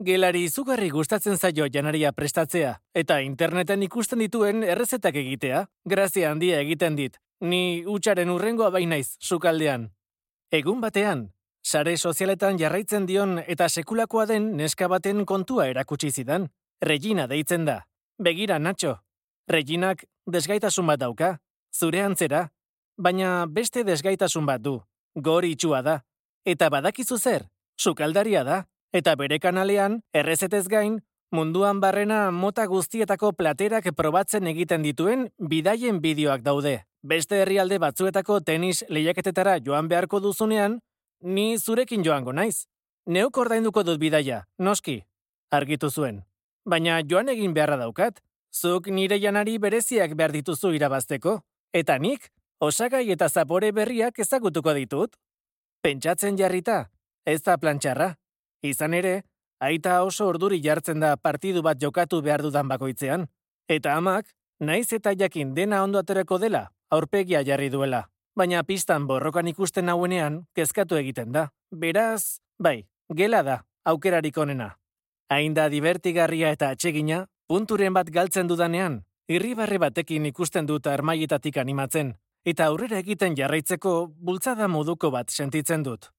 Gelari izugarri gustatzen zaio janaria prestatzea, eta interneten ikusten dituen errezetak egitea, grazia handia egiten dit, ni hutsaren urrengoa bainaiz, sukaldean. Egun batean, sare sozialetan jarraitzen dion eta sekulakoa den neska baten kontua erakutsi zidan. Regina deitzen da. Begira, Nacho. Reginak desgaitasun bat dauka, zure antzera, baina beste desgaitasun bat du. Gori itxua da. Eta badakizu zer, sukaldaria da. Eta bere kanalean, errezetez gain, munduan barrena mota guztietako platerak probatzen egiten dituen bidaien bideoak daude. Beste herrialde batzuetako tenis lehiaketetara joan beharko duzunean, ni zurekin joango naiz. Neuk ordainduko dut bidaia, noski, argitu zuen. Baina joan egin beharra daukat, zuk nire janari bereziak behar dituzu irabazteko, eta nik osagai eta zapore berriak ezagutuko ditut. Pentsatzen jarrita, ez da plantxarra. Izan ere, aita oso orduri jartzen da partidu bat jokatu behar dudan bakoitzean. Eta amak, naiz eta jakin dena ondo aterako dela, aurpegia jarri duela. Baina pistan borrokan ikusten hauenean, kezkatu egiten da. Beraz, bai, gela da, aukerarik onena. Hain da divertigarria eta atsegina, punturen bat galtzen dudanean, irribarre batekin ikusten dut armaietatik animatzen, eta aurrera egiten jarraitzeko bultzada moduko bat sentitzen dut.